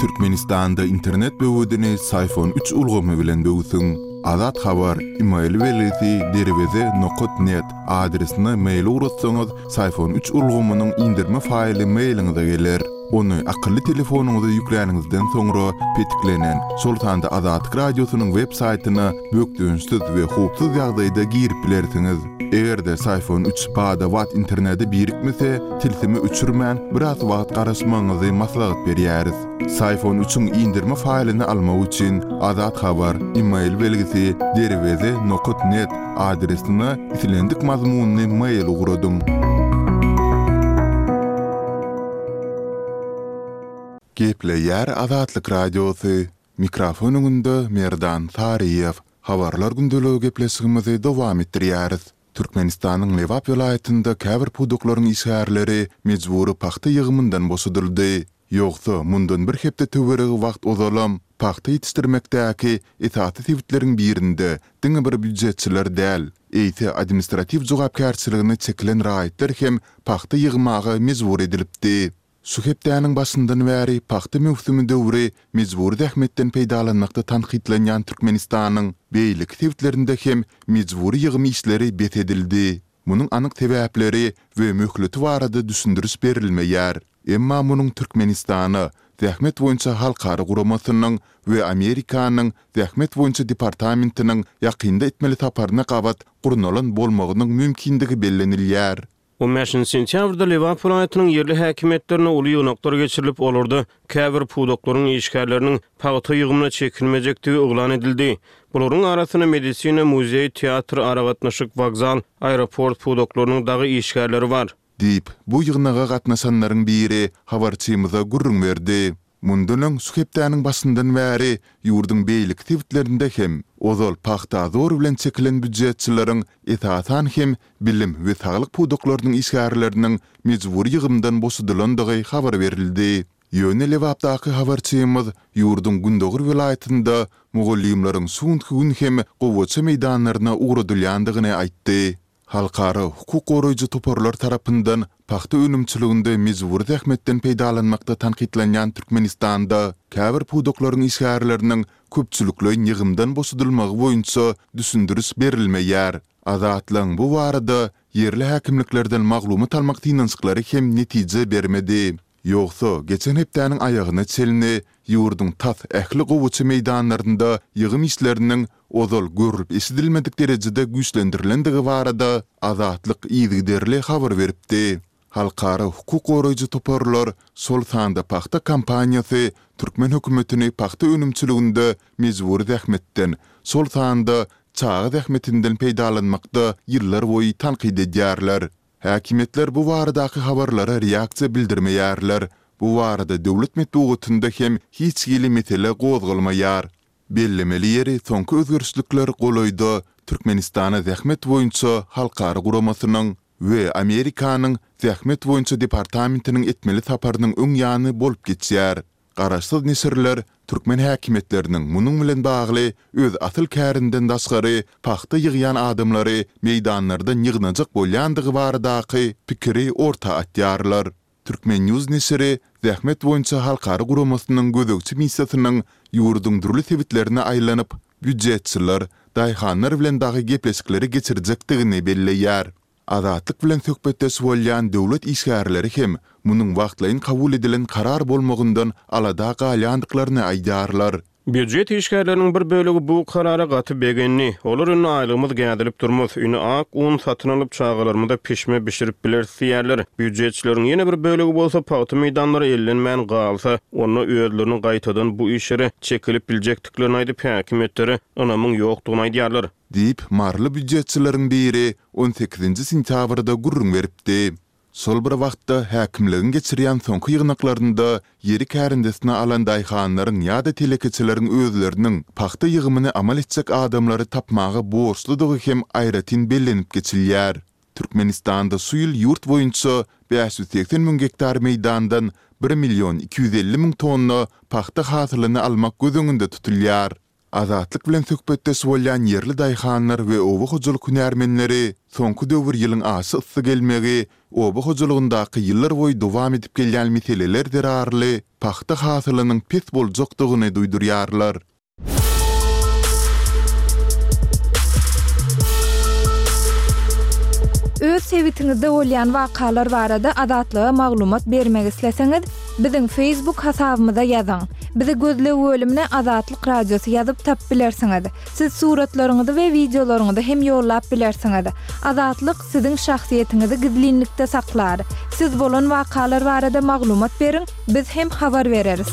Türkmenistanda internet böwedini Syfon üç ulgamy bilen böwsüň. Azat Habar, email belgisi derweze nokat net adresine mail ugratsaňyz Syfon üç ulgamynyň indirme faýly mailiňize geler. Ony akylly telefonyňyza ýükläniňizden soňra petiklenen, şol sanda Azatlyk Radiosynyň web saýtyna bökdençsiz we howpsuz ýagdaýda girip bilersiňiz. Eger-de Syfon üç bada-bat internete birikmese, tilsimi öçürmän, biraz wagt garaşmagyňyzy maslahat berýäris. Syfon üçiň indirme faýlyny almak üçin Azat Habar, email belgisi, derweze nokat net adresine islendik mazmunly mail ugradyň. Gepleýär Azatlyk Radiosy, Mikrofon öňünde Merdan Saryýew. Habarlar gündeligi gepleşigimizi dowam etdirýäris. Türkmenistanyň Lebap welaýatynda käbir pudaklaryň işgärleri mejbury pagta ýygymyndan boşadyldy. Ýogsa, mundan bir hepde töweregi wagt ozalam, pagta ýetişdirmekdäki esasy sebitleriň birinde diňe bir býujetçiler däl, eýse administratiw jogapkärçiligine çekilen raýatlar hem pagta ýygmaga mejbur edilipdi. Şu hepdäniň başyndan bäri pagta möwsümi döwri mejbury zähmetden peýdalanmakda tankytlanýan Türkmenistanyň beýleki sebitlerinde hem mejbury ýygym işleri bes edildi. Munuň anyk sebäpleri we möhleti barada düşündiriş berilmeýär. Emma munuň Türkmenistana Zähmet boýunça halkara guramasynyň we Amerikanyň Zähmet boýunça departamentiniň ýakynda etmeli saparyna gabat gurnalan bolmagynyň mümkindigi bellenilýär. On bäşinji sentýabrda Lebap welaýatynyň ýerli häkimiýetlerinde uly ýygnaklar geçirilip, olarda käbir pudaklaryň işgärleriniň pagta ýygymyna çekilmejekdigi yglan edildi. Bularyň arasynda medisina, muzeý, teatr, aragatnaşyk, wokzal, aeroport pudaklarynyň dagy işgärleri bar. Diýip, bu ýygnaga gatnaşanlaryň biri habarçymyza gürrüň berdi. Mundan öň şu hepdäniň başyndan bäri ýurduň beýleki sebitlerinde hem ozal pagta zor bilen çekilen býujetçileriň, esasan hem bilim we saglyk pudaklarynyň işgärleriniň mejbury ýygymdan boşadylandygy habar berildi. Ýöne Lebapdaky habarçymyz ýurduň gündogar welaýatynda mugallymlaryň şu günki gün hem gowaça meýdanlaryna ugradylýandygyny aýtdy. Halkara hukuk goraýjy toparlar tarapyndan pagta önümçiliginde mejbury zähmetden peýdalanmakda tankytlanýan Türkmenistanda käbir pudaklaryň işgärleriniň köpçülikleýin ýygymdan boşadylmagy boýunça düşündiriş berilmeýär. Azatlygyň bu barada ýerli häkimliklerden maglumat almak synanyşyklary hem netije bermedi. Ýogsa, geçen hepdäniň aýagyna çenli ýurduň tas ähli gowaça meýdanlarynda ýygym işleriniň ozal görlüp-eşidilmedik derejede güýçlendirilendigi barada Azatlyk yzygiderli habar beripdi. Halkara hukuk goraýjy toparlar, şol sanda pagta kampaniýasy türkmen hökümetini pagta önümçiliginde mejbury zähmetden, şol sanda çaga zähmetinden peýdalanmakda ýyllarboýy tankyt edýärler. Häkimiýetler bu baradaky habarlara reaksiýa bildirmeýärler. Bu barada döwlet metbugatynda hem hiç hili mesele gozgalmaýar. Bellemeli ýeri, soňky özgerişlikler golaýda Türkmenistana Zähmet boýunça halkara guramasynyň we Amerikanyň Zähmet boýunça departamentiniň etmeli saparynyň öň ýany bolup geçýär. Garaşsyz neşirler türkmen häkimiýetleriniň munuň bilen bagly öz asyl kärinden daşgary pagta ýygýan adamlary meýdanlardan ýygnajak bolýandygy baradaky pikiri orta atýarlar. Turkmen. News neşiri Zähmet boýunça halkara guramasynyň gözegçi missiýasynyň ýurduň dürli sebitlerine aýlanyp, býujetçiler, daýhanlar bilen dagy gepleşikleri geçirjekdigini belleýär. Azatlyk bilen söhbetdeş bolýan döwlet işgärleri hem munuň wagtlaýyn kabul edilen karar bolmagyndan alada galýandyklaryny aýdýarlar. Býujet işgärleriniň bir bölegi bu karara gaty begendi. Olar indi aýlygymyz gädilip durmaz, indi ak un satyn alyp, çagalarymyza pişme bişirip bileris diýýärler. Býujetçileriň ýene bir bölegi bolsa pagta meýdanlary ellenmän galsa, onda özleriniň gaýtadan bu işlere çekilip biljekdiklerini aýdyp, häkimiýetlere ynamyň ýokdugyny aýdýarlar. Diýip, maryly býujetçileriň biri on sekizinji sentýabrda gürrüň beripdi. Şol bir wagtda, häkimligiň geçirýän soňky ýygnaklarynda ýeri kärendesine alan daýhanlaryň ýa-da telekeçileriň özleriniň pagta ýygymyny amal etjek adamlary tapmaga borçludygy hem aýratyn bellenip geçilýär. Türkmenistanda şu ýyl ýurt boýunça 580 müň gektar meýdandan bir million 250 müň tonna pagta hasylyny almak göz öňünde tutulýar. Azatlyk bilen söhbetdeş bolýan ýerli daýhanlar we oba hojalyk hünärmenleri soňky döwür ýylyň aşa yssy gelmegi, oba hojalygyndaky ýyllarboýy dowam edip gelýän meseleler zerarly pagta hasylynyň pes boljakdygyny duýdurýarlar. Öz sebitiňizde bolýan wakalar barada Azatlyga maglumat bermek isleseňiz, biziň Facebook hasabymyza ýazyň. Bizi gözleg bölümine Azatlyk Radiosy ýazyp tapyp bilersiňiz. Siz suratlaryňyzy we wideolaryňyzy hem ýollap bilersiňiz. Azatlyk siziň şahsyýetiňizi gizlinlikde saklar. Siz bolan wakalar barada maglumat beriň, biz hem habar bereris.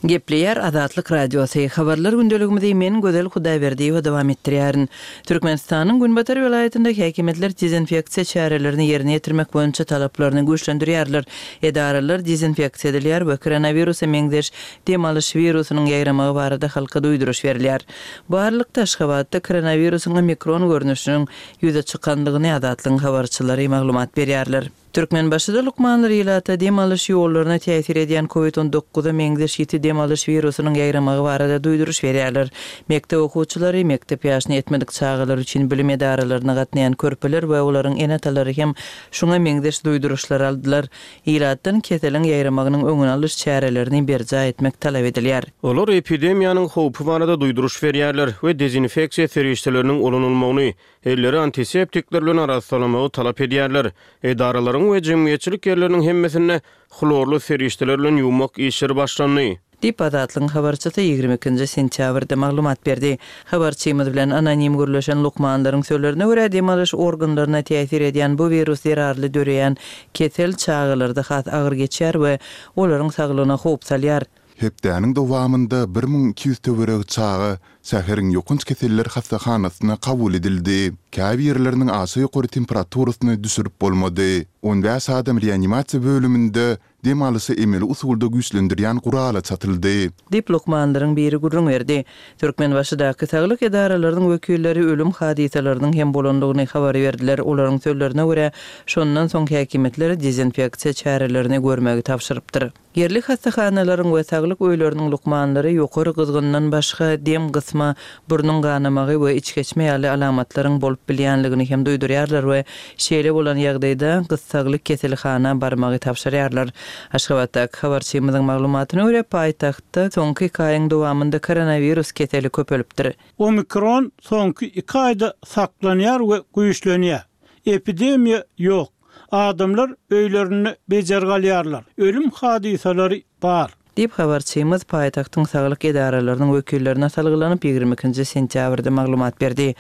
Gepleýär Azatlyk Radiosy. Habarlar gündeligimizi men Gözel Hudaýberdiýewa dowam etdirýärin. Türkmenistanyň günbatar welaýatynda häkimiýetler dezinfeksiýa çärelerini ýerine ýetirmek boýunça talaplaryny güýçlendirýärler. Edaralar dezinfeksiýa edilýär we koronawirusa meňzeş dem alyş wirusynyň ýaýramagy barada halka duýduryş berilýär. Bu aralykda, Aşgabatda koronawirusyň omikron görnüşiniň ýüze çykandygyny Azatlygyň habarçylary maglumat berýärler. Türkmenbaşyda lukmanlar ilata dem alyş ýollaryna täsir edýän Covid on dokuza meňzeş ýiti dem alyş wirusynyň ýaýramagy barada duýduryş berýärler. Mekdep okuwçylary, mekdep ýaşyna ýetmedik çagalar üçin bilim edaralaryna gatnaýan körpeler we olaryň ene-atalary hem şuňa meňzeş duýduryşlary aldylar. Ilatdan keseliň ýaýramagynyň öňüni alyş çärelerini berjaý etmek talap edilýär. Olar epidemiýanyň howpy barada duýduryş berýärler we dezinfeksiýa serişdeleriniň ulanylmagyny, Elleri antiseptikler bilen arassalamagy talap edýärler. Edaralaryň we jemgyýetçilik ýerleriniň hemmesinde hlorly serişdeler bilen ýuwmak işleri başlandy. Diýip, Azatlygyň habarçysy 22 nji sentýabrda maglumat berdi. Habarçymyz bilen anonim gürleşen lukmanlaryň sözlerine görä, dem alyş organlaryna täsir edýän bu wirus zerarly döreýän kesel çagalarda has agyr geçýär we olaryň saglygyna howp salýar. Hepdäniň dowamynda 1200 töweregi çaga şäheriň ýokanç keseller hassahanasyna kabul edildi. Käbirleriniň aşa ýokary temperaturasyny düşürip bolmady. On bäş adam reanimasiýa bölüminde dem alyşy emeli usulda güýçlendirýän gurala çatyldy. Diýip, lukmanlaryň biri gürrüň berdi. Türkmenbaşydaky saglyk edaralarynyň wekilleri ölüm hadysalarynyň hem bolandygyny habar berdiler. Olaryň sözlerine görä, şondan soň häkimiýetler dezinfeksiýa çärelerini görmegi tabşyrypdyr. Ýerli hassahanalaryň we saglyk öýleriniň lukmanlary ýokary gyzgyndan başga dem gysma, burnuň ganamagy we içgeçme ýaly alamatlaryň bolup bilýänligini hem duýdurýarlar we şeýle bolan ýagdaýda gyssagly keselhana barmagy tabşyrýarlar. Aşgabatdaky habarçymyzyň maglumatyna görä, paýtagtda soňky iki aýyň dowamynda koronawirus keseli köpelipdir. Omikron soňky iki aýda saklanýar we güýçlenýär. Epidemiýa ýok. Adamlar öýlerinde bejergi alýarlar. Ölüm hadysalary bar. Diýip, habarçymyz paýtagtyň saglyk edaralarynyň wekillerine salgylanyp, 22 nji sentýabrda maglumat berdi.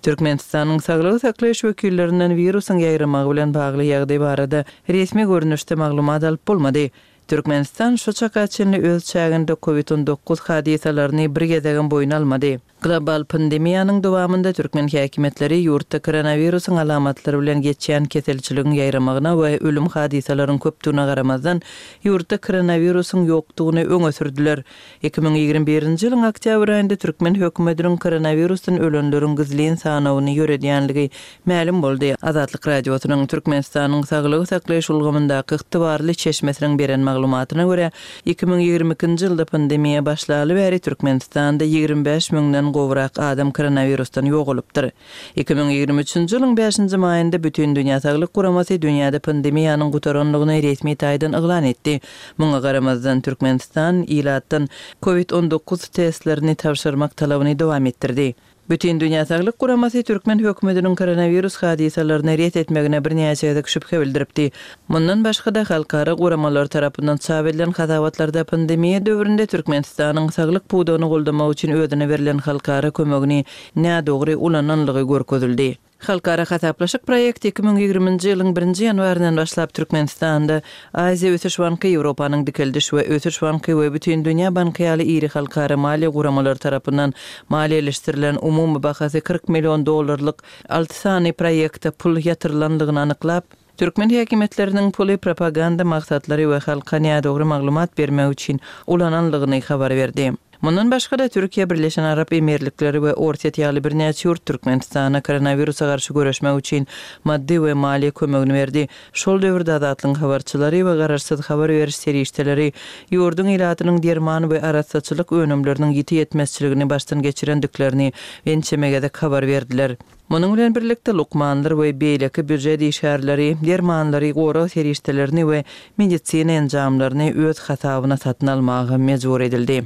Türkmenistanyň saglygy saklaýyş wekillerinden wirusyň ýaýramagy bilen bagly ýagdaý barada resmi görnüşde maglumat alyp bolmady. Türkmenistan şu çaka çenli öz çäginde Covid 19 hadysalaryny bir gezegem boýun almady. Global pandemiýanyň dowamynda türkmen häkimiýetleri ýurtda koronawirusyň alamatlary bilen geçýän keselçiligiň ýaýramagyna we ölüm hadysalaryň köpdügine garamazdan, ýurtda koronawirusyň ýokdugyny öňe sürdüler. 2021-nji ýylyň oktýabr aýynda türkmen hökümetiniň koronawirusdan ölenleriň gizlin sanawyny ýöredýänligi mälim boldy. Azatlyk Radiosynyň Türkmenistanyň saglygy saklaýyş ulgamyndaky ygtybarly çeşmesiniň beren maglumatyna görä, 2022-nji ýylda pandemiýa başlaly bäri Türkmenistanda 25 müňden gowrak adam koronawirusdan ýogalypdyr. 2023-nji ýylyň bäşinji maýynda Bütindünýä Saglyk Guramasy dünýäde pandemiýanyň gutarandygyny resmi taýdan yglan etdi. Muňa garamazdan, Türkmenistan ilatdan Covid 19 testlerini tabşyrmak talabyny dowam etdirdi. Bütindünýä Saglyk Guramasy türkmen hökümetiniň koronawirus hadysalaryny ret etmegine birnäçe gezek şübhe bildiripdi. Mundan başga-da, halkara guramalary tarapyndan çap edilen hasabatlarda pandemiýa döwründe Türkmenistanyň saglyk pudagyny goldamak üçin özüne berlen halkara kömegini nädogry ulananlygy görkezildi. Halkara hasaplaşyk proýekti 2020-nji ýylyň birinji ýanwaryndan başlap Türkmenistanda Aziýa ösüş banky, Ýewropanyň dikeldiş we ösüş banky we Bütindünýä banky ýaly iri halkara maliýe guramalary tarapyndan maliýeleşdirilen umumy bahasy 40 million dollarlyk alty sany proýekte pul ýatyrylandygyny anyklap, türkmen häkimiýetleriniň puly propaganda maksatlary we halka nädogry maglumat bermek üçin ulananlygyny habar berdi. Mundan başga-da, Türkiýe, Birleşen Arap Emirlikleri we Orsýet ýaly birnäçe ýurt Türkmenistana koronawirusa garşy göreşmek üçin maddy we maliýe kömegini berdi. Şol döwürde Azatlygyň habarçylary we garaşsyz habar beriş serişdeleri ýurduň ilatynyň derman we arassaçylyk önümleriniň ýiti ýetmezçiligini başdan geçirendiklerini ençeme gezek habar berdiler. Munuň bilen birlikde, lukmanlar we beýleki býujet işgärleri dermanlary, gorag serişdelerini we medisina enjamlaryny öz hasabyna satyn almaga mejbur edildi.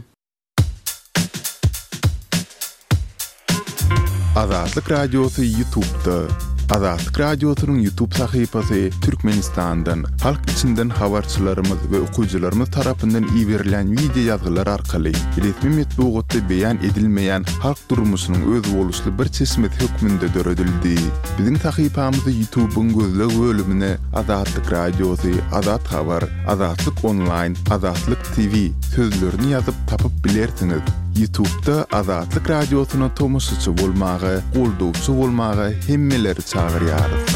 Azatlyk Radiosy Ýutubda. Azatlyk Radiosynyň Ýutub sahypasy Türkmenistandan, halk içinden habarçylarymyz we okyjylarymyz tarapyndan iberilýän wideo ýazgylar arkaly resmi metbugatda beýan edilmeýän halk durmuşynyň özboluşly bir çeşmesi hökmünde döredildi. Biziň sahypamyzy Ýutubyň gözleg bölümine Azatlyk Radiosy, Azat Habar, Azatlyk Onlaýn, Azatlyk TV sözlerini ýazyp tapyp bilersiňiz. Ýutubda Azatlyk Radiosyna tomaşaçy bolmaga, goldawçy bolmaga hemmeleri çagyrýarys.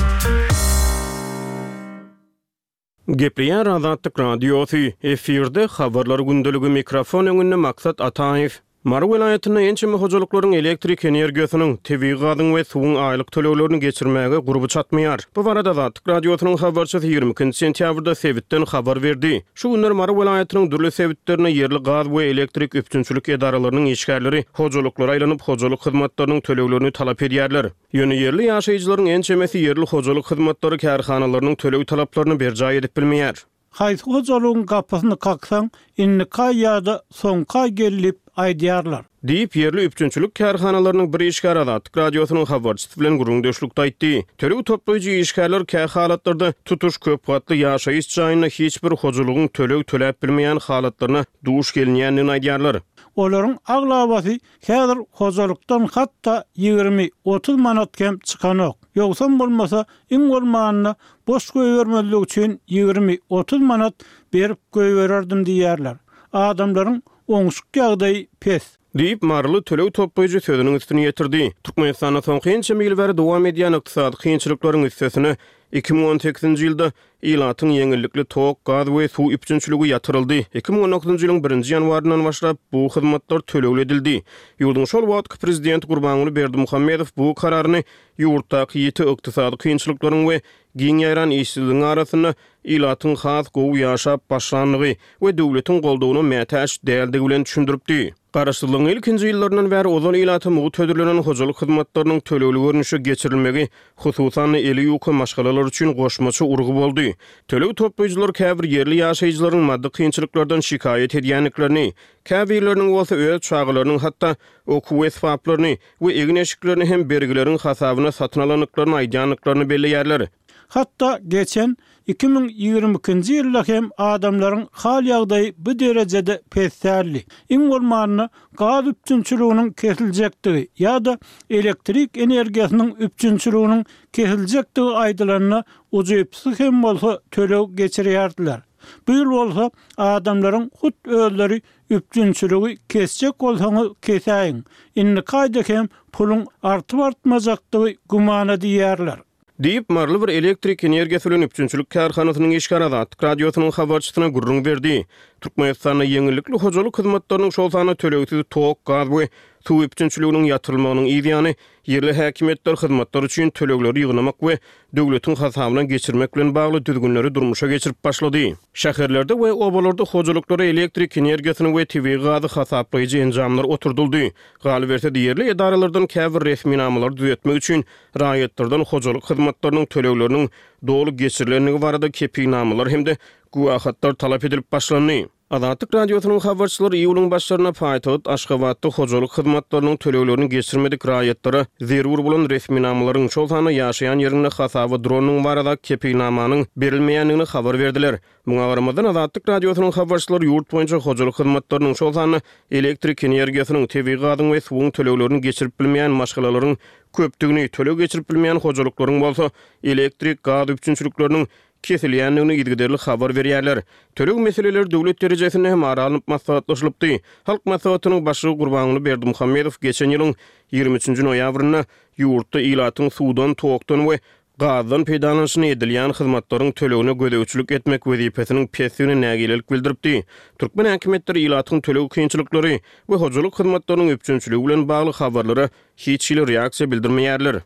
Gepleýär Azatlyk Radiosy, efirde Habarlar gündeligi mikrofon öňünde Maksat Ataýew. Mary welaýatynda ençeme hojalyklaryň elektrik energiýasynyň, tebigy gazyň we suwuň aýlyk töleglerini geçirmäge gurby çatmaýar. Bu barada Azatlyk Radiosynyň habarçysy 22 sentýabrda sebitden habar berdi. Şu günler Mary welaýatynyň dürli sebitlerinde ýerli gaz we elektrik üpjünçilik edaralarynyň işgärleri hojalyklara aýlanyp, hojalyk hyzmatlarynyň töleglerini talap edýärler. Ýöne ýerli ýaşaýjylaryň ençemesi ýerli hojalyk hyzmatlary kärhanalarynyň töleg talaplaryny berjaý edip bilmeýär. Haýsy hojalygyň gapysyny kaksaň, indiki aý ýa-da soňky aý gel diýip aýdýarlar. Diýip, ýerli üpjünçilik kärhanalarynyň bir işgäri Azatlyk Radiosynyň habarçysy bilen gürrüňdeşlikde aýtdy. Töleg toplaýjy işgärler kä halatlarda tutuş köp gatly ýaşaýyş jaýynda hiç bir hojalygyň töleg töläp bilmeýän halatlaryna duş gelinýändigini aýdýarlar. Olaryň aglabasy Häzir hojalykdan hatda 20, 30 manat hem çykanok. Ýogsam bolmasa, iň bolmanda boş goýbermezlik üçin 20, 30 manat berip goýbererdim diýýärler. Adamlaryň oňşuk ýagdaýy pes. Diýip, maryly töleg toplaýjy sözüniň üstüni ýetirdi. Türkmenistanda soňky ençeme ýyl bäri dowam edýän ykdysady kynçylyklaryň üstesine, 2018-nji ýylda Ilatyň ýeňillikli tok, gaz we suw üpjünçiligi ýatyryldy. 2019-njy ýylyň birinji ýanwaryndan başlap, bu hyzmatlar tölegli edildi. Ýurduň şol wagtky prezidenti Gurbanguly Berdimuhamedow bu kararyny ýurtdaky ýiti ykdysady kynçylyklaryň we giň ýaýran işsizligiň arasynda ilatyň has gowy ýaşap başlandygy we döwletiň goldawyna mätäç däldigi bilen düşündiripdi. Garaşsyzlygyň ilkinji ýyllaryndan bäri ozal ilata mugt hödürlenen hojalyk hyzmatlarynyň tölegli görnüşe geçirilmegi, hususan-da, eli ýuka maşgalalar üçin goşmaça urgy boldy. Töleg toplaýjylar käbir ýerli ýaşaýjylaryň maddy kynçylyklardan şikaýat edýändiklerini, käbirleriniň bolsa öz çagalarynyň hatda okuw esbaplaryny we egin-eşiklerini hem bergileriň hasabyna satyn alandyklaryny aýdýandyklaryny belleýärler. Hatda geçen 2022-nji ýylda hem adamlaryň hal-ýagdaýy bu derejede pes däldi. Iň bolmanda gaz üpjünçiliginiň kesiljekdigi ýa-da elektrik energiýasynyň üpjünçiliginiň kesiljekdigi aýdylanda ujypsyz hem bolsa töleg geçirýärdiler. Bu ýyl bolsa adamlaryň hut özleri üpjünçiligi kesjek bolsaňyz kesäýiň, indiki aýda hem puluň artyp-artmajakdygy gümana diýýärler. Diýip, maryly bir elektrik energiýasy bilen üpjünçilik kärhanasynyň işgäri Azatlyk Radiosynyň habarçysyna gürrüň berdi. Türkmenistanda ýeňillikli hojalyk hyzmatlarynyň, şol sanda tölegsiz tok, gaz we suw üpjünçiliginiň ýatyrylmagynyň yz ýany, ýerli häkimiýetler hyzmatlar üçin tölegleri ýygnamak we döwletiň hasabyna geçirmek bilen bagly düzgünleri durmuşa geçirip başlady. Şäherlerde we obalarda hojalyklara elektrik energiýasyny we tebigy gazy hasaplaýjy enjamlar oturdyldy. Galyberse-de, ýerli edaralardan käbir resminamalary düzetmek üçin raýatlardan hojalyk hyzmatlarynyň tölegleriniň doly geçirilendigi barada kepilnamalar hem-de güwähatlar talap edilip başlandy. Azatlyk Radiosynyň habarçylary iýulyň başlarynda paýtagt Aşgabatda hojalyk hyzmatlarynyň töleglerini geçirmedik raýatlara zerur bolan resminamalaryň, şol sanda ýaşaýan ýerinde hasaba durandygyň barada kepilnamanyň berilmeýändigini habar berdiler. Muňa garamazdan, Azatlyk Radiosynyň habarçylary ýurt boýunça hojalyk hyzmatlarynyň, şol sanda elektrik energiýasynyň, tebigy gazyň we suwuň töleglerini geçirip bilmeýän maşgalalaryň köpdügini, töleg geçirip bilmeýän hojalyklaryň bolsa elektrik, gaz üpjünçilikleriniň kesilýändigini yzygiderli habar berýärler. Töleg meseleleri döwlet derejesinde hem ara alnyp maslahatlaşylypdy. Halk Maslahatynyň Başlygy Gurbanguly Berdimuhamedow geçen ýylyň 23 nji noýabrynda ýurtda ilatyň suwdan, tokdan we. gazdan peýdalanyşyna edilýän hyzmatlaryň tölegine gözegçilik etmek wezipesiniň pesdigine nägilelik bildiripdi. Türkmen häkimiýetleri ilatyň töleg kynçylyklary we hojalyk hyzmatlarynyň üpjünçiligi bilen bagly habarlara hiç hili reaksiýa bildirmeýärler.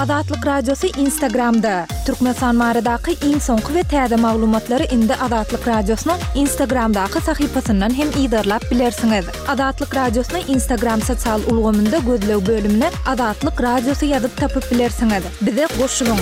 Azatlyk Radiosy Instagramda! Türkmenistan baradaky iň soňky we täze maglumatlary indi Azatlyk Radiosynyň Instagramdaky sahypasyndan hem yzarlap bilersiňiz. Azatlyk Radiosyny Instagram sosial ulgamynda gözleg bölümine Azatlyk Radiosy ýazyp tapyp bilersiňiz. Bize goşulyň!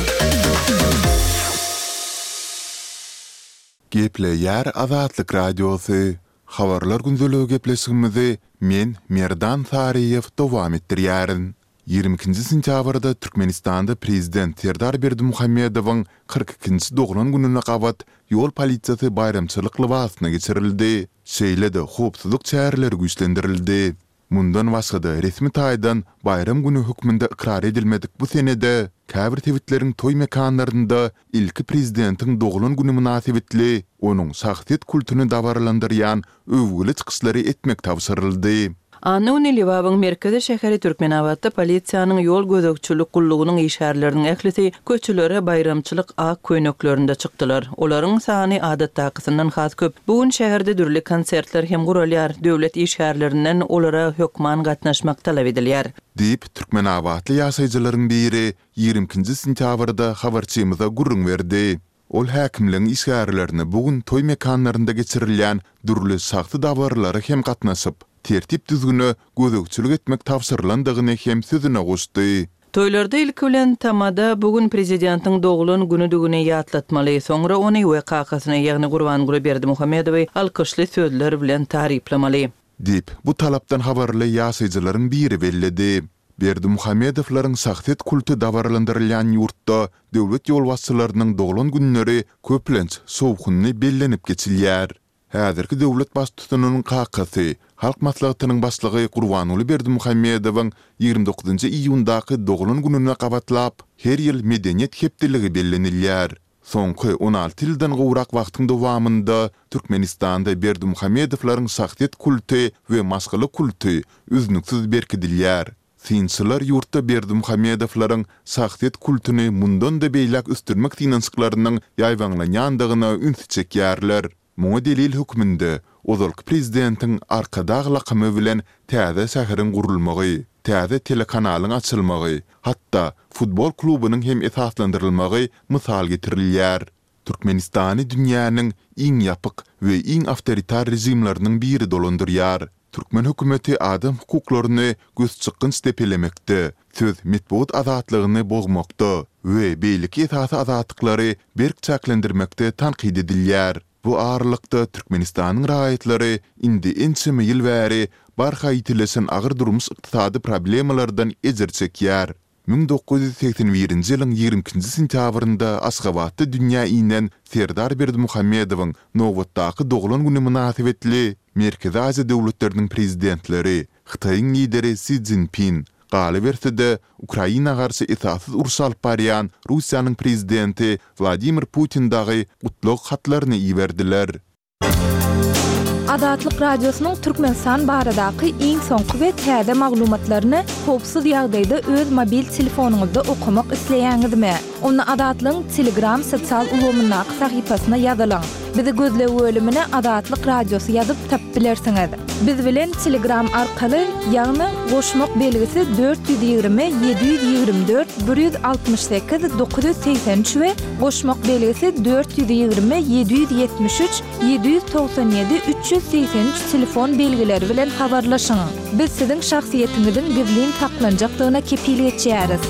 Gepleýär Azatlyk Radiosy, Habarlar gündeligi gepleşigimizi men, Merdan Saryýew dowam etdirýärin. 22-nji sentýabrda Türkmenistanda prezident Serdar Berdimuhamedowyň 42-nji doglan gününe gabat ýol polisiýasy baýramçylyk lybasyna geçirildi, şeýle-de howpsuzlyk çäreleri güýçlendirildi. Mundan başga-da, resmi taýdan baýram güni hökmünde ykrar edilmedik bu senede käbir sebitleriň toý mekanlarynda ilki prezidentiň doglan güni mynasybetli onuň şahsyýet kultuny dabaralandyrýan öwgüli çykyşlary etmek tabşyryldy. Anna güni Lebabyň merkezi şäheri Türkmenabatda polisiýanyň ýol gözegçilik gullugynyň işgärleriniň ählisi köçelere baýramçylyk ak köýneklerinde çykdylar. Olaryň sany adatdakysyndan has köp. Bu gün şäherde dürli konsertler hem guralýar, döwlet işgärlerinden olara hökman gatnaşmak talap edilýär. Diýip, türkmenabatly ýaşaýjylaryň biri 22 nji sentýabrda habarçymyza gürrüň berdi. Ol häkimligiň işgärlerine bu gün toý mekanlarynda geçirilýän dürli şahsy dabaralara hem gatnaşyp, tertip-düzgüne gözegçilik etmek tabşyrylandygyny hem sözüne goşdy. Toýlarda ilki bilen tamada bu gün prezidentiň doglan günüdigini ýatlatmaly, soňra ony we kakasyny, ýagny Gurbanguly Berdimuhamedowy alkyşly sözler bilen taryplamaly. Diýip, bu talapdan habarly ýaşaýjylaryň biri belledi. Berdimuhamedowlaryň şahsyýet kulty dabaralandyrylýan ýurtda döwlet ýolbaşçylarynyň doglan günleri köplenç şowhunly bellenip geçilýär. Häzirki döwlet baştutanynyň kakasy, Halk Maslahatynyň Başlygy Gurbanguly Berdimuhamedowyň 29 iýundaky doglan gününe gabatlap, her ýyl Medeniýet hepdeligi bellenilýär. Soňky 16 ýyldan gowrak wagtyň dowamynda Türkmenistanda Berdimuhamedowlaryň şahsyýet kulty we maşgala kulty üznüksiz berkidilýär. Synçylar ýurtda Berdimuhamedowlaryň şahsyýet kultuny mundan-da beýläk ösdürmek synanyşyklarynyň ýaýbaňlanýandygyna ünsi çekýärler. Muňa delil hökmünde ozalky prezidentiň Arkadag lakamy bilen täze şäheriň gurulmagy, täze telekanalyň açylmagy, hatda futbol klubunyň hem esaslandyrylmagy mysal getirilýär. Türkmenistany dünýäniň iň ýapyk we iň awtoritar režimleriniň biri dolandyrýar. Türkmen hökümeti adam hukuklaryny gözçykgynç depelemekde, söz, metbugat azatlygyny bozmakda we beýleki esasy azatlyklary berk çäklendirmekde tankyt edilýär. Bu aralykda, Türkmenistanyň raýatlary indi ençeme ýyl bäri barha ýitileşen agyr durmuş-ykdysady problemalardan ejir çekýär. 1981-nji ýylyň 22-nji sentýabrynda Aşgabatda dünýä inen Serdar Berdimuhamedowyň nobatdaky doglan güni mynasybetli Merkezi Aziýa döwletleriniň Prezidentleri, Hytaýyň Lideri Si Szinpin, galyberse-de, Ukraina garşy esassyz uruş alyp barýan Russiýanyň Prezidenti Wladimir Putin dagy gutlag hatlaryny iberdiler. Azatlyk Radiosynyň Türkmenistan baradaky iň soňky we täze maglumatlaryny howpsuz ýagdaýda öz mobil telefonyňyzda okamak isleýäňizmi? Onda Azatlygyň Telegram sosial ulgamyndaky sahypasyna ýazylyň. Bizi gözleg bölümine Azatlyk Radiosy ýazyp tapyp bilersiňiz. Biz bilen Telegram arkaly, ýagny goşmak belgisi 420 724 168 983 we goşmak belgisi 420 773 797 383 telefon belgileri bilen habarlaşyň. Biz siziň şahsyýetiňiziň gizlin saklanjakdygyna kepil geçýäris.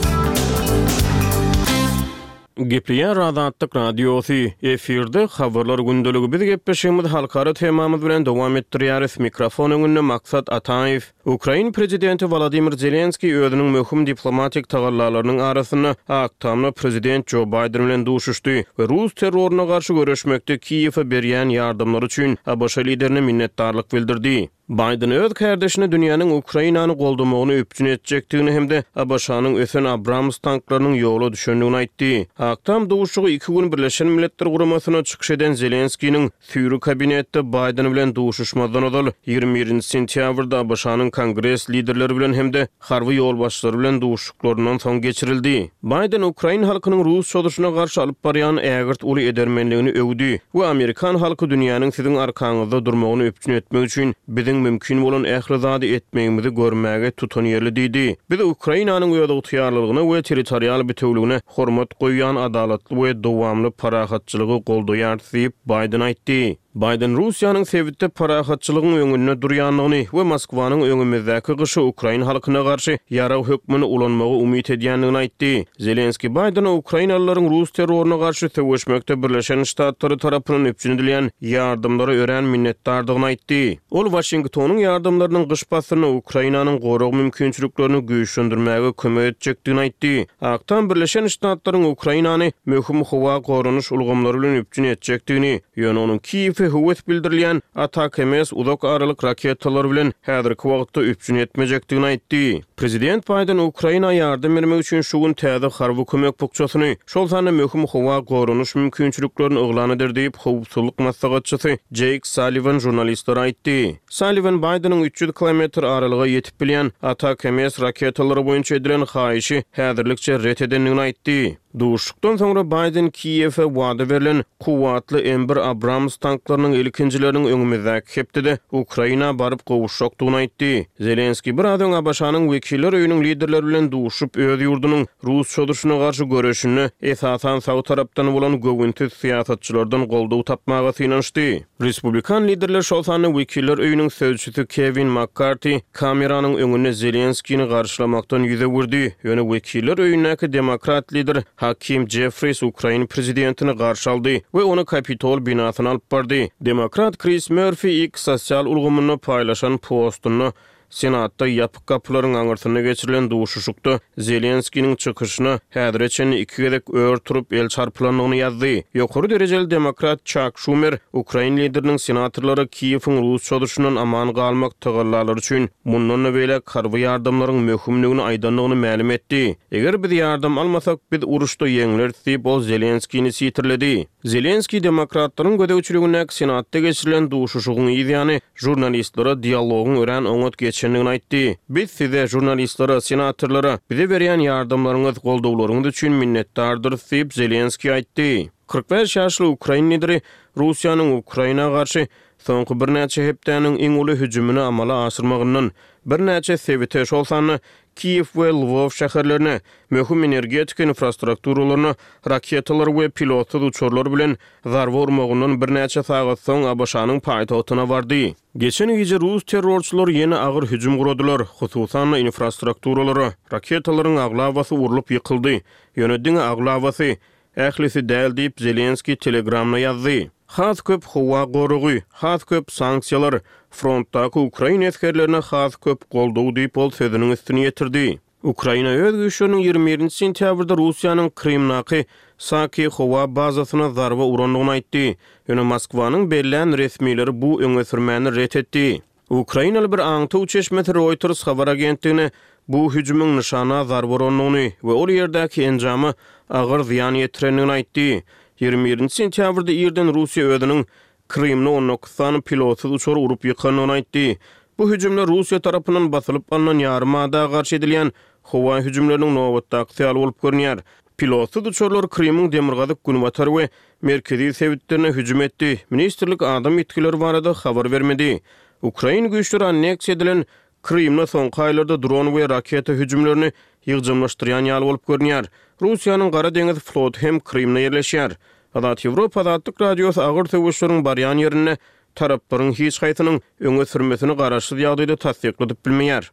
Gepleýär Azatlyk Radiosy, efirde Habarlar gündeligi biz gepleşigimizi halkara temamyz bilen dowam etdirýäris, mikrofon öňünde Maksat Ataýew. Ukrain prezidenti Wolodymyr Zelenskiý özüniň möhüm diplomatik tagallalarynyň arasynda Ak Tamda prezident Jo Baýden bilen duşuşdy we rus terroryna garşy göreşmekde Kiýewe berýän ýardamlary üçin ABŞ liderine minnetdarlyk bildirdi. Baýden öz kärdeşine dünýäniň Ukrainany goldamagyny üpjün etjekdigini hem-de ABŞ-nyň ösen Abrams tanklarynyň ýola düşendigini aýtdy. Ak Tam duşuşygy iki gün Birleşen Milletler Guramasyna çykyş eden Zelenskiniň süýri kabinetde Baýden bilen duşuşmazdan ozal, 21-nji sentýabrda ABŞ-nyň Kongres liderleri bilen hem-de harby ýolbaşçylary bilen duşuşyklaryndan soň geçirildi. Baýden ukrain halkynyň rus çozuşyna garşy alyp barýan ägirt uly edermenligini öwdi we amerikan halky dünýäniň siziň arkaňyzda durmagyny üpjün etmek üçin biziň mümkin bolan ähli zady etmegimizi görmäge tutanýerli diýdi. Biz Ukrainanyň özygtyýarlylygyna we territorial bitewligine hormat goýýan adalatly we dowamly parahatçylygy goldaýarys diýip, Baýden aýtdy. Baýden Russiýanyň sebitde parahatçylygyň öňünde durýandygyny we Moskwanyň öňümizdäki gyşy ukrain halkyna garşy ýarag hökmünde ulanmagy umyt edýändigini aýtdy. Zelenskiý Baýdene ukrainalylaryň rus terroryna garşy söweşmekde Birleşen Ştatlary tarapyndan üpjün edilýän ýardamlara örän minnetdardygyny aýtdy. Ol Waşingtonyň ýardamlarynyň gyş paslynda Ukrainanyň gorag mümkinçiliklerini güýçlendirmäge kömek etjekdigini aýtdy. Ak Tam Birleşen Ştatlaryň Ukrainany möhüm howa goranyş ulgamlary bilen üpjün etjekdigini, ýöne onuň Kiýewe höwes bildirilýän ATACMS uzak aralyk raketalary bilen häzirki wagtda üpjün etmejekdigini aýtdy. Prezident Baýden Ukraina ýardam bermek üçin şu gün täze harby kömek bukjasyny, şol sanda möhüm howa goranyş mümkinçiliklerini yglan eder diýip, howpsuzlyk maslahatçysy Jeýk Salliwan žurnalistlere aýtdy. Salliwan Baýdeniň 300 kilometr aralyga ýetip bilýän ATACMS raketalary boýunça edilen haýyşy häzirlikçe ret edendigini aýtdy. Duşuşykdan soňra Baýden Kiýewe wada berlen kuwwatly M bir Abrams tanklarynyň ilkinjileriniň öňümizdäki hepdede Ukraina baryp gowuşjakdygyny aýtdy. Zelenskiý biraz öň ABŞ-nyň Wekiller öýüniň liderleri bilen duşup, öz ýurdunyň rus çozuşyna garşy göreşinde esasan sag tarapdan bolan göwünsiz syýasatçylardan goldaw tapmaga synanyşdy. Respublikan liderler, şol sanda Wekiller öýüniň sözçüsi Kewin Makkarti kameranyň öňünde Zelenskini garşylamakdan ýüz öwürdi, ýöne Wekiller öýündäki demokrat lider Hakim Jeffris ukrain prezidentini garşy aldy we ony Kapitol binasyna alyp bardy. Demokrat Kris Mörfi X sosial ulgamynda paýlaşan postunda Senatda ýapyk gapylaryň aňyrsynda geçirilen duşuşykda Zelenskiniň çykyşyna häzire çenli iki gezek ör turup el çarpylandygyny ýazdy. Ýokary derejeli demokrat Çak Şumer ukrain lideriniň senatorlara Kiýewiň rus çozuşyndan aman galmak tagallalary üçin mundan-da beýläk harby ýardamlaryň möhümdigini aýdandygyny mälim etdi. Eger biz ýardam almasak, biz uruşda ýeňleris diýip, ol Zelenskini sitirledi. Zelenskiý demokratlaryň gözegçiligindäki Senatda geçirilen duşuşygyň yzýany žurnalistlere dialogyň örän oňat geçendigini aýtdy. Biz size, žurnalistlere, senatorlara, bize berýän ýardamlaryňyz, goldawlaryňyz üçin minnetdardyrys diýip, Zelenskiý aýtdy. 45 ýaşly ukrain lideri Russiýanyň Ukraina garşy soňky birnäçe hepdäniň iň uly hüjümini amala aşyrmagyndan, birnäçe sebite, şol sanda Kiýew we Lwow şäherlerine, möhüm energetika infrastrukturalaryna raketalar we pilotsyz uçarlar bilen zarba urmagyndan birnäçe sagat soň ABŞ-nyň paýtagtyna bardy. Geçen gije rus terrorçylary ýene agyr hüjüm guradylar, hususan-da infrastrukturalara. Raketalaryň aglabasy urlup ýykyldy. Ýöne diňe aglabasy. Ählisi däl diýip, Zelenskiý Telegramda ýazdy. Has köp howa goragy, has köp sanksiýalar, frontdaky ukrain esgerlerine has köp goldaw diýip, ol sözüniň üstüni ýetirdi. Ukraina öz güýçleriniň 21-nji sentýabrda Russiýanyň Krymdaky Saki howa bazasyna zarba urandygyny aýtdy. Ýöne Moskwanyň bellän resmileri bu öňe sürmäni ret etdi. Ukrainaly bir aňtaw çeşmesi Reuters habar agentligine bu hüjümiň nyşana zarba urandygyny we ol ýerdäki enjama agyr zyýan ýetirendigini aýtdy. 21-nji sentýabrda irden Russiýa özüniň Krymda 19 sany pilotsyz uçary urup ýykandygyny aýtdy. Bu hüjümler Russiýa tarapyndan basylyp alnan ýarym ada garşy edilýän howa hüjümleriniň nobatdakysy ýaly bolup görünýär. Pilotsyz uçarlar Krymyň demirgazyk-günbatar we merkezi sebitlerine hüjüm etdi. Ministrlik adam ýitgileri barada habar bermedi. Ukrain güýçleri anneksiýa edilen Krymda soňky aýlarda dron we raketa hüjümlerini ýygjamlaşdyrýan ýaly bolup görünýär. Russiýanyň Gara deňiz floty hem Krymda ýerleşýär. Azat Ýewropa Azatlyk Radiosy agyr söweşleriň barýan ýerinde taraplaryň hiç haýsynyň öňe sürmesini garaşsyz ýagdaýda tassykladyp bilmeýär.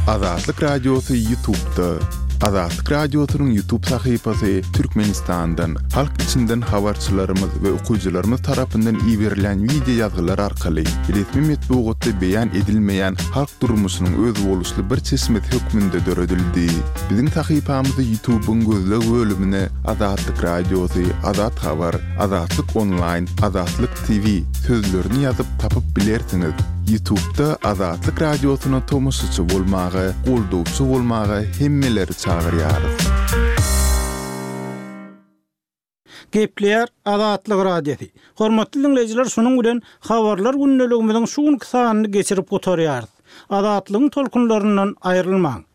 Azatlyk Radiosy Ýutubda. Azatlyk Radiosynyň YouTube sahypasy Türkmenistandan, halk içinden habarçylarymyz we okyjylarymyz tarapyndan iberilýän wideo ýazgylar arkaly resmi metbugatda beýan edilmeýän halk durmuşynyň özboluşly bir çeşmesi hökmünde döredildi. Biziň sahypamyzy YouTube-yň gözleg bölümine Azatlyk Radiosy, Azat Habar, Azatlyk Onlaýn, Azatlyk TV sözlerini ýazyp tapyp bilersiňiz. Ýutubda Azatlyk Radiosyna tomaşaçy bolmaga, goldawçy bolmaga hemmeleri çagyrýarys. Gepleýär Azatlyk Radiosy. Hormatly diňleýjiler şunuň bilen Habarlar gündeligimiziň şu günki sanyny geçirip gutarýarys. Azatlygyň tolkunlaryndan aýrylmaň.